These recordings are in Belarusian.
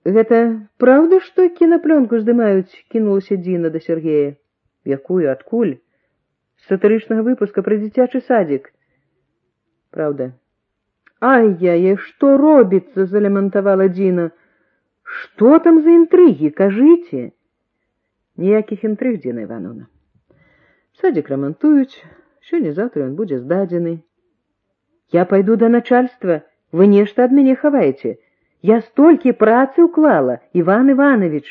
Гэта правда, што кінапленку здымаюць? Кінулася Дзіна да Сергея. Якую, адкуль? З сатырычнага выпуска пра дзіцячы садзік. Правда. Ай-яй, што робіцца, залямантавала Дзіна. Што там за інтрыгі, кажыце? Ніякіх інтрыг, Дзіна Івановна. Садзік рамантуюць, сёння-заўтра ён будзе здадзены. Я пайду да начальства, вы нешта ад мяне хаваеце. Я столькі працы ўклала, Іван Іванович.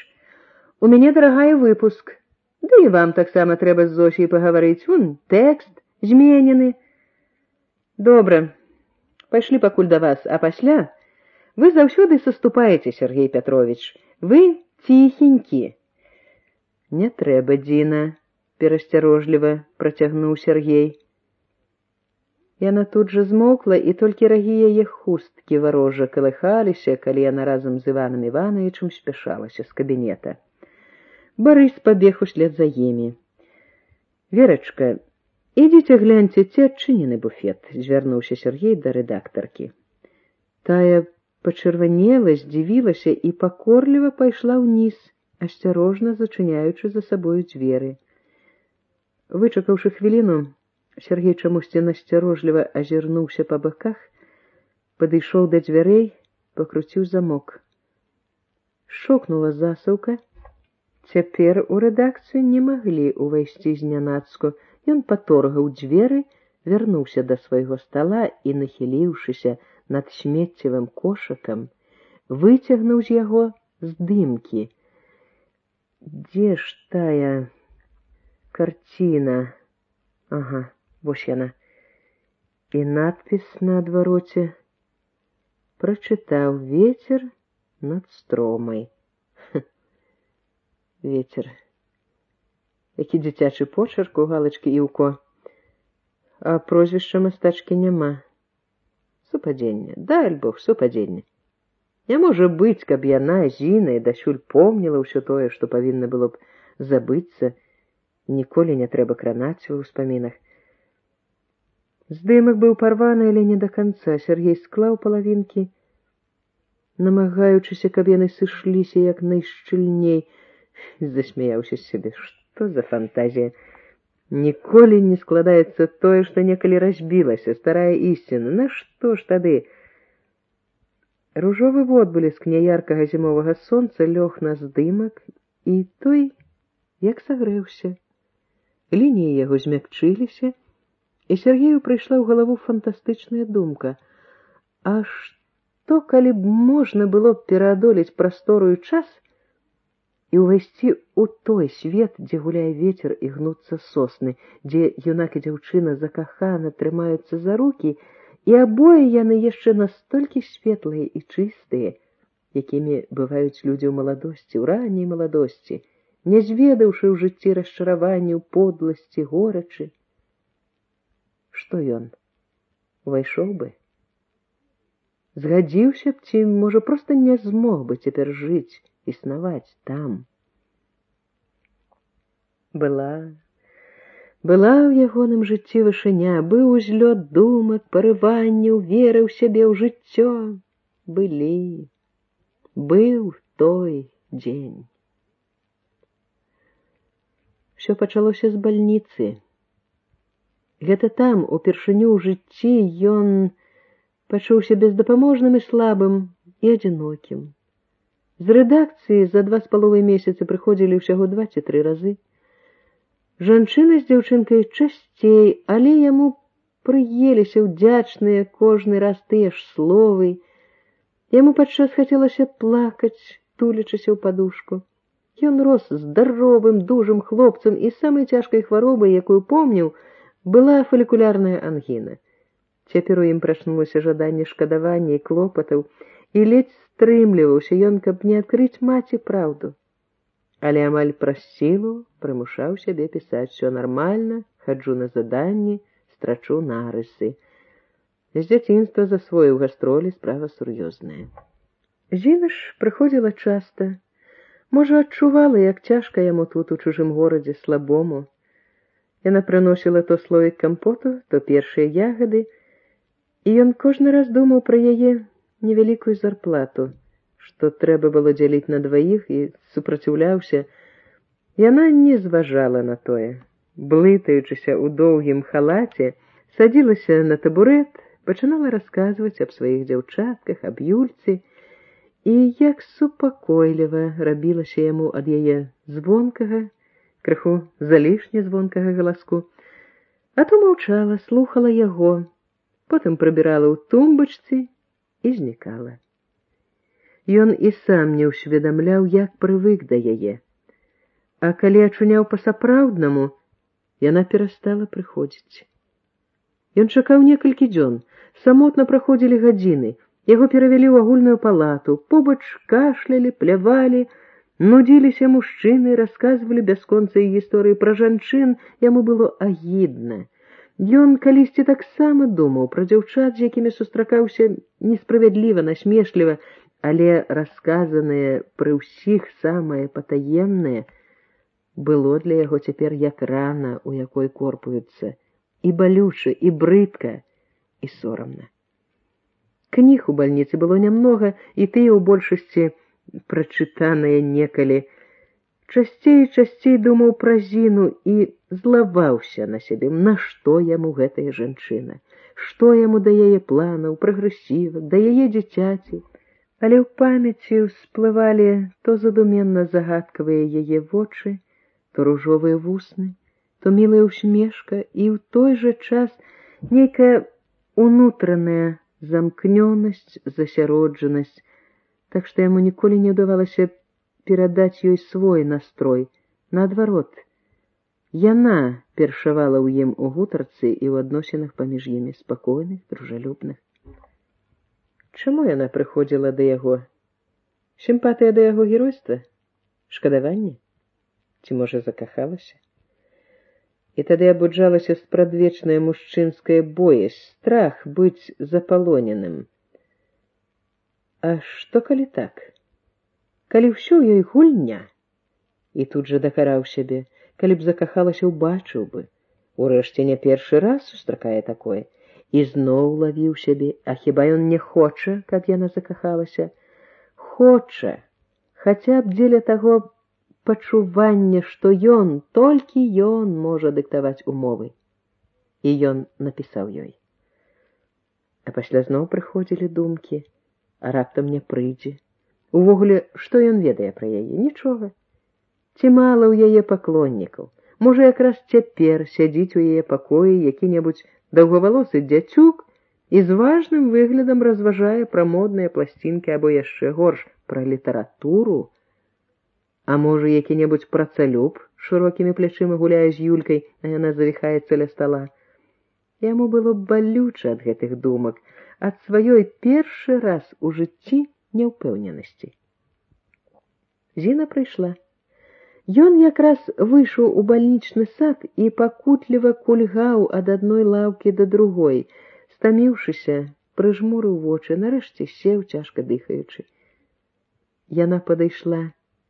У мяне дарагая выпуск. Да і вам таксама трэба з Зосей пагаварыць. Вон тэкст зменены. Добра, пайшлі пакуль да вас, а пасля вы заўсёды саступаеце, Сергей Пятрович. Вы ціхенькі. Не трэба, Дзіна, перасцярожліва працягнуў Сергей. Яна тут жа змоўкла, і толькі рагі яе хусткі варожа калыхаліся, калі яна разам з Іванам Івановичам спяшалася з кабінета. Барыс пабег услед за імі. Верачка, ідзіце гляньце, ці адчынены буфет, звярнуўся Сергей да рэдактаркі. Тая пачырванела, здзівілася і пакорліва пайшла ўніз, асцярожна зачыняючы за сабою дзверы. Вычакаўшы хвіліну, Сергей чамусьці насцярожліва азірнуўся па баках, падышоў да дзвярэй, пакруціў замок. Шокнула засаўка. Цяпер у рэдакцыю не маглі ўвайсці знянацку. Ён паторгаў дзверы, вярнуўся да свайго стала і, нахіліўшыся над смеццевым кошыкам, выцягнуў з яго здымкі. Дзе ж тая карціна? Ага, вось яна. І надпіс на адвароце. Прачытаў: «Вецер над стромай». Вецер. Які дзіцячы почерк у галачкі і ўко. А прозвішча мастачкі няма. Супадзенне. Дай Бог, супадзенне. Не можа быць, каб яна, Зіна, дасюль помніла ўсё тое, што павінна было б забыцца. Ніколі не трэба кранаць у ўспамінах. Здымак быў парваны, але не да канца. Сергей склаў палавінкі, намагаючыся, каб яны сышліся як найшчыльней. Засмяяўся з сябе. Што за фантазія? Ніколі не складаецца тое, што некалі разбілася, старая ісціна. Нашто ж тады? Ружовы водбліск няяркага зімовага сонца лёг на здымак, і той як сагрэўся. Лініі яго змякчыліся, і Сергею прыйшла ў галаву фантастычная думка. А што, калі б можна было б пераадолець прастору і час і ўвайсці ў той свет, дзе гуляе вецер і гнуцца сосны, дзе юнак і дзяўчына закахана трымаюцца за рукі, і абое яны яшчэ настолькі светлыя і чыстыя, якімі бываюць людзі ў маладосці, у ранняй маладосці, не зведаўшы ў жыцці расчараванняў, подласці, горачы. Што ён? Увайшоў бы? Згадзіўся б, ці, можа, проста не змог бы цяпер жыць, існаваць там. Была ў ягоным жыцці вышыня, быў узлёт думак, парыванняў, веры ў сябе, ў жыццё. Быў той дзень. Усё пачалося з бальніцы. Гэта там, упершыню ў жыцці, ён пачуўся бездапаможным і слабым, і адзінокім. З рэдакцыі за 2,5 месяцы прыходзілі ўсяго 2 ці 3 разы. Жанчына з дзяўчынкай часцей, але яму прыеліся ўдзячныя кожны раз тыя ж словы. Яму падчас хацелася плакаць, тулячыся ў падушку. Ён рос здаровым, дужым хлопцам, і самай цяжкай хваробай, якую помніў, была фалікулярная ангіна. Цяпер у ім прачнулася жаданне шкадавання і клопатаў, і ледзь стрымліваўся ён, каб не адкрыць маці праўду. Але амаль праз сілу прымушаў сябе пісаць: «Всё нармальна, хаджу на заданні, страчу нарысы». З дзяцінства засвоіў гастролі, справа сур'ёзная. Зіна ж прыходзіла часта. Можа, адчувала, як цяжка яму тут, у чужым горадзе, слабому. Яна прыносіла то слоік кампоту, то першыя ягады, і ён кожны раз думаў пра яе невялікую зарплату, што трэба было дзяліць на дваіх, і супраціўляўся, яна не зважала на тое. Блытаючыся ў доўгім халаце, садзілася на табурэт, пачынала расказваць аб сваіх дзяўчатках, аб Юльцы, і як супакойліва рабілася яму ад яе звонкага, крыху залішне звонкага галаску. А то маўчала, слухала яго, потым прыбірала ў тумбачцы і знікала. Ён і сам не ўсведамляў, як прывык да яе. А калі ачуняў па-сапраўднаму, яна перастала прыходзіць. Ён чакаў некалькі дзён, самотна праходзілі гадзіны, яго перавялі ў агульную палату, побач кашлялі, плявалі, нудзіліся мужчыны, расказвалі бясконцыя гісторыі пра жанчын, яму было агідна. Ён калісьці таксама думаў пра дзяўчат, з якімі сустракаўся несправядліва, насмешліва, але расказанае пры ўсіх самае патаемнае было для яго цяпер як рана, у якой корпуецца, і балюча, і брыдка, і сорамна. Кніг у бальніцы было нямнога, і тыя ў большасці прачытаныя некалі. Часцей і часцей думаў пра Зіну і злаваўся на сябе, нашто яму гэтая жанчына, што яму да яе планаў, прагрэсівак, да яе дзіцяці. Але ў памяці ўсплывалі то задуменна загадкавыя яе вочы, то ружовыя вусны, то мілая усмешка, і ў той жа час нейкая унутраная замкнёнасць, засяроджанасць, так што яму ніколі не ўдавалася перадаць ёй свой настрой. Наадварот, яна першавала ў ім у гутарцы і ў адносінах паміж імі, спакойных, дружалюбных. Чаму яна прыходзіла да яго? Сімпатыя да яго геройства? Шкадаванне? Ці, можа, закахалася? І тады абуджалася спрадвечная мужчынская боязь, страх быць запалоненым. А што калі так? Калі ўсё ў ёй гульня? І тут жа дакараў сябе, калі б закахалася, убачыў бы. Урэшце не першы раз сустракае такое. І зноў лавіў сябе, а хіба ён не хоча, каб яна закахалася? Хоча, хаця б дзеля таго пачування, што ён, толькі ён можа дыктаваць умовы. І ён напісаў ёй. А пасля зноў прыходзілі думкі, а раптам не прыйдзе. Увогуле, што ён ведае пра яе? Нічога. Ці мала ў яе паклоннікаў? Можа, якраз цяпер сядзіць у яе пакоі які-небудзь даўгавалосы дзяцюк і з важным выглядам разважае пра модныя пласцінкі або яшчэ горш пра літаратуру. А можа, які-небудзь працалюб шырокімі плячыма гуляе з Юлькай, а яна завіхаецца ля стала. Яму было балюча ад гэтых думак, ад сваёй першы раз у жыцці няўпэўненасці. Зіна прыйшла. Ён якраз выйшаў у бальнічны сад і пакутліва кульгаў ад адной лаўкі да другой, стаміўшыся, прыжмурыў вочы, нарэшце сеў, цяжка дыхаючы. Яна падышла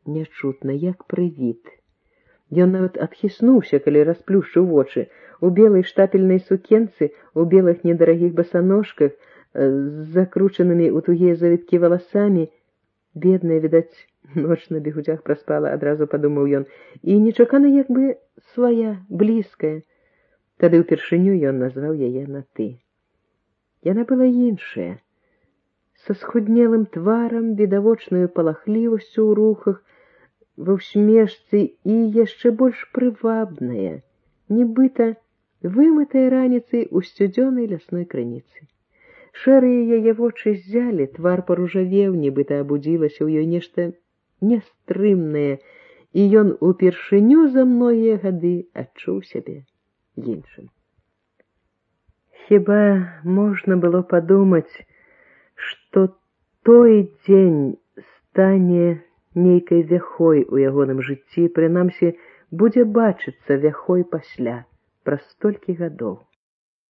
нячутна, як прывід. Ён нават адхіснуўся, калі расплюшчыў вочы. У белай штапельнай сукенцы, у белых недарагіх басаножках, з закручанымі ў тугія завіткі валасамі. Бедная, відаць, ноч на бегудзях праспала, адразу падумаў ён, і нечакана як бы свая, блізкая. Тады ўпершыню ён назваў яе на «ты». Яна была іншая, са схуднелым тварам, відавочнаю палахлівасцю ў рухах, ва ўсмешцы і яшчэ больш прывабная, нібыта вымытая раніцай у сцюдзёнай лясной крыніцы. Шэрыя яе вочы ззялі, твар паружавеў, нібыта абудзілася ў ёй нешта нястрымнае, і ён упершыню за многія гады адчуў сябе іншым. Хіба можна было падумаць, што той дзень стане нейкай вяхой у ягоным жыцці, прынамсі, будзе бачыцца вяхой пасля, праз столькі гадоў.